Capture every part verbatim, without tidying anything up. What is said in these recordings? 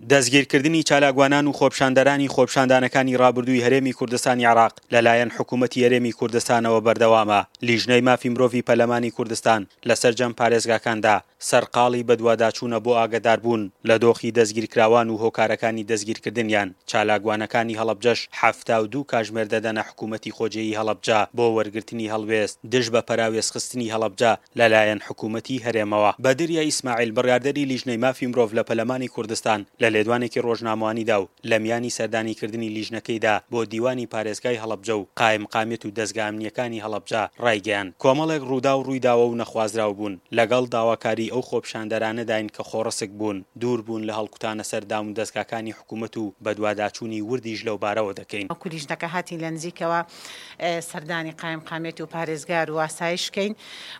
دەستگیرکردنی چالاکوانان و خۆپیشاندەرانی خۆپیشاندانەکانی ڕابردووی هەرێمی کوردستانی عێراق لەلایەن حکوومەتی هەرێمی کوردستانەوە بەردەوامە. لیژنەی مافی مرۆڤی پەرلەمانی کوردستان لە سەرجەم پارێزگاکاندا سەرقاڵی بەدواداچوونە بۆ ئاگاداربوون لە دۆخی دەستگیرکراوان و هۆکارەکانی دەستگیرکردنیان. چالاکوانەکانی هەڵەبجەش حەفتا و دوو کاژمێر دەدەنە حکوومەتی خۆجێیی هەڵەبجە بۆ وەرگرتنی هەڵوێست دژ بە پەراوێزخستنی هەڵەبجە لەلایەن حکوومەتی هەرێمەوە. بەدریە ئیسماعیل، بڕیاردەری لیژنەی مافی مرۆڤ لە پەرلەمانی کوردستان، لە لێدوانێکی ڕۆژنامەوانیدا و لە میانی سەردانیکردنی لیژنەکەیدا بۆ دیوانی پارێزگای هەڵەبجە و قایمقامیەت و دەزگا ئەمنییەکانی هەڵەبجە ڕایگەیاند، کۆمەڵێک ڕووداو ڕوویداوە و نەخوازراو بوون، لەگەڵ داواکاری ئەو خۆپیشاندەرانەداین کە خۆڕسک بوون، دوور بوون لە هەڵکوتانە سەر دامودەزگاکانی حکوومەت و بەدواداچوونی وردیش لەوبارەوە دەکەین. وەکو لیژنەکە هاتین لە نزیکەوە سەردانی قایمقامیەت و پارێزگار و ئاسایش بکەین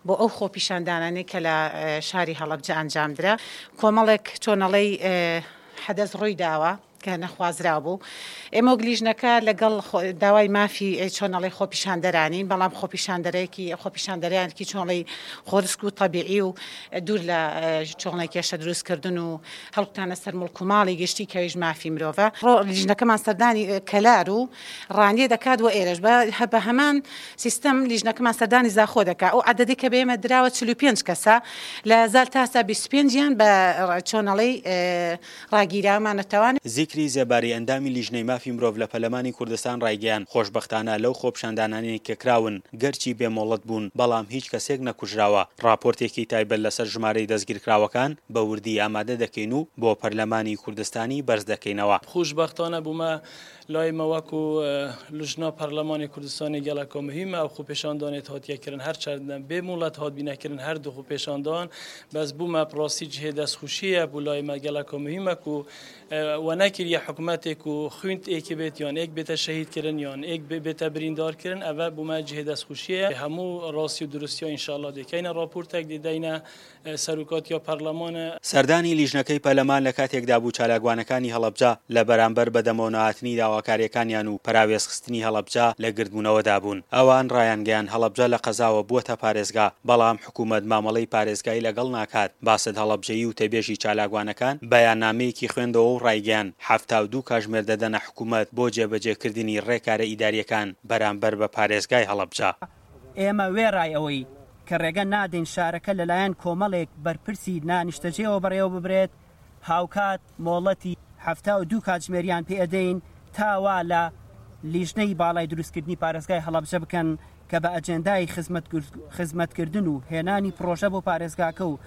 بۆ ئەو خۆپیشاندانانەی کە لە شاری هەڵەبجە ئەنجامدرا. کۆمەڵێک چۆنەڵەی حەدەس ڕووی داوە کە نەخوازراو بوو. ئێمە وەک لیژنەکە لەگەڵ داوای مافی چۆنەڵی خۆپیشاندەرانین، بەڵام خۆپیشاندەرێکی خۆپیشاندەرانێکی چۆنڵی خۆرسک و تەبیعی و دوور لە چۆنڵی کێشە دروستکردن و هەڵکوتانە سەر مڵک و ماڵی گشتی کەویش مافی مرۆڤە. لیژنەکەمان سەردانی کەلار و ڕانیە دەکات و ئێرەش بە هەمان سیستەم لیژنەکەمان سەردانی زاخۆ دەکات. ئەو عەدەدی کە بە ئێمە دراوە چل و پێنج کەسە، لە زال تاسا بیست و پێنجیان بە چۆنەڵی ڕاگیراومانەتەوان. زیکری زێباری ئەندامی لیژنەی مافی مرۆڤ لە پەرلەمانی کوردستان ڕایگەیاند، خۆشبەختانە لەو خۆپیشاندانانەی کە کراون گەرچی بێ مۆڵەت بوون بەڵام هیچ کەسێک نەکوژراوە. ڕاپۆرتێکی تایبەت لەسەر ژمارەی دەستگیرکراوەکان بە وردی ئامادە دەکەین و بۆ پەرلەمانی کوردستانی بەرز دەکەینەوە. خۆشبەختانە بوومە لای مە وەکو لژنا پەرلەمانی کوردستانی گەلەکە مهمە ئەو خۆپیشاندانێت هاتیەکردن هەرچەند بێ مۆڵەت هات بینەکردن هەردوو خۆپیشاندان بەس بوومە پراستی جهێ دەستخۆشیە بوو لای مە گەلەکە مهمە و و نەکریە حکوومەتێک و خوێند ئێکی بێت یان ئێک بێتە شەهیدکردن یان ئێک بێتە بریندارکردن ئەوە بوومە جهێ دەستخۆشیە. هەموو ڕاستی و دروستیا ئینشاءالله دەکەینە ڕاپۆرتێک دەدەینە سەرۆکاتیا پەرلەمانە. سەردانی لیژنەکەی پەرلەمان لە کاتێکدا بوو چالاکوانەکانی هەڵەبجە لە بەرامبەر بەدەمەوەنەهاتنی داواکاریەکانیان و پەراوێزخستنی هەڵەبجە لە گردبوونەوەدا بوون. ئەوان ڕایانگەیاند هەڵەبجە لە قەزاوە بووەتە پارێزگا، بەڵام حکوومەت مامەڵەی پارێزگای لەگەڵ ناکات. باست هەڵەبجەیی و تەبێژی چالاکوانەکان بەیاننامەیەکی خوێندەوە و ڕایگەیاند حەفتا و دوو کاژمێر دەدەنە حکوومەت بۆ جێبەجێکردنی ڕێکارە ئیداریەکان بەرامبەر بە پارێزگای هەڵەبجە. ئێمە وێڕای ئەوەی کە ڕێگە نادەین شارەکە لەلایەن کۆمەڵێک بەرپرسی نانیشتەجێەوە بەڕێوە ببرێت، هاوکات مۆڵەتی حەفتا و دوو کاتژمێریان پێ ئەدەین تا وا لە لیژنەی باڵای دروستکردنی پارێزگای هەڵەبجە بکەن کە بە ئەجێندای خزمەتکردن و هێنانی پرۆژە بۆ پارێزگاکە و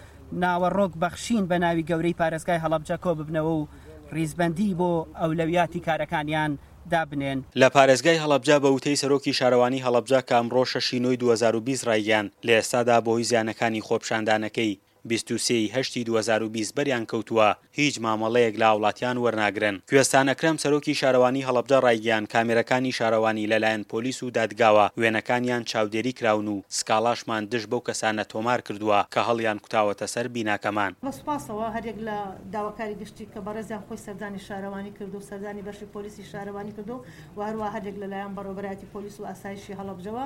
ناوەڕۆک بەخشین بە ناوی گەورەی پارێزگای هەڵەبجە کۆ ببنەوە و ڕیزبەندی بۆ ئەولەویاتی کارەکانیان دابنێن. لە پارێزگای هەڵەبجە بە وتەی سەرۆکی شارەوانی هەڵەبجە کە ئەمڕۆ شەشی نۆی دوو هەزار و بیست ڕایگەیاند، لە ئێستادا بەهۆی زیانەکانی خۆپیشاندانەکەی بیست و سێ ی هەشتی دوو هەزار و بیست بەریان کەوتووە، هیچ مامەڵەیەک لە هاوڵاتیان وەرناگرن. کوێستان ئەکرەم سەرۆکی شارەوانی هەڵەبجە ڕایگەیاند، کامێرەکانی شارەوانی لەلایەن پۆلیس و دادگاوە وێنەکانیان چاودێری کراون و سکاڵاشمان دژ بەو کەسانە تۆمار کردووە کە هەڵیان کوتاوەتە سەر بیناکەمان. بە سوپاسەوە هەریەک لە داواکاری گشتی کە بەڕێزیان خۆی سەردانی شارەوانی کردو و سەردانی بەشی پۆلیسی شارەوانی کردو و هەروە هەریەک لەلایەن بەڕێوەبەرایەتی پۆلیس و ئاسایشی هەڵەبجەوە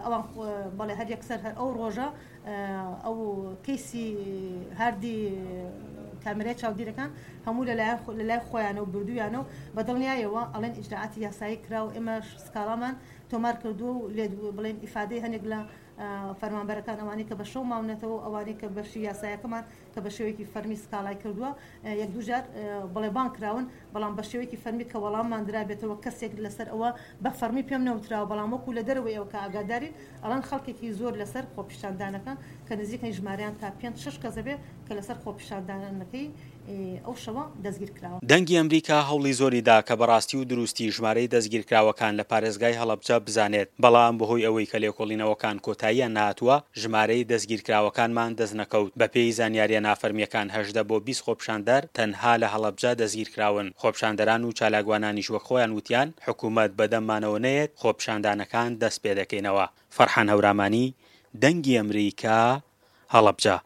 ئەوان بەڵێ هەر یەکسەر هەر ئەو ڕۆژە ئەو کەیسی هاردی کامێرای چاودێرەکان هەموو لەلایەن لەلای خۆیانە و بردوویانە و بە دڵنیایەوە ئەڵێن ئیجراعاتی یاسایی کرا و ئێمەش سکاڵامان تۆمار کردووە و لێ بڵێن ئیفادەی هەنێک لە فەرمانبەرەکان ئەوانەی کە بە شەو ماونەتەوە ئەوانەی کە بەشی یاسایەکەمان کە بە شێوەیەکی فەرمی سکاڵای کردووە یەک دوو جار بڵێ بانگ کراون، بەڵام بە شێوەیەکی فەرمی کە وەڵاممان درابێتەوە کەسێک لەسەر ئەوە بە فەرمی پێم نەوتراوە، بەڵام وەکو لە دەرەوەی ئەوە کە ئاگادارین ئەڵەن خەڵکێکی زۆر لەسەر خۆپیشاندانەکان کە نزیکەی ژمارەیان تا پێنج شەش کەس ئەبێ کە لەسەر خۆپیشاندانەکەی ئەو شەوە دەستگیر کراوە. دەنگی ئەمریکا هەوڵی زۆری دا کە بەڕاستی و دروستی ژمارەی دەستگیرکراوەکان لە پارێزگای هەڵەبجە بزانێت، بەڵام بەهۆی ئەوەی کە لێکۆڵینەوەکان کۆتاییان نەهاتووە ژمارەی دەستگیرکراوەکانمان دەستنەکەوت. بەپێی زانیاریە نافەرمیەکان هەژدە بۆ بیست خۆپیشاندەر تەنها لە هەڵەبجە دەستگیرکراون. خۆپیشاندەران و چالاکوانانیش وەک خۆیان وتیان حکوومەت بەدەممانەوە نەیەت خۆپیشاندانەکان دەست پێدەکەینەوە. فەرحان هەورامانی، دەنگی ئەمریکا، هەڵەبجە.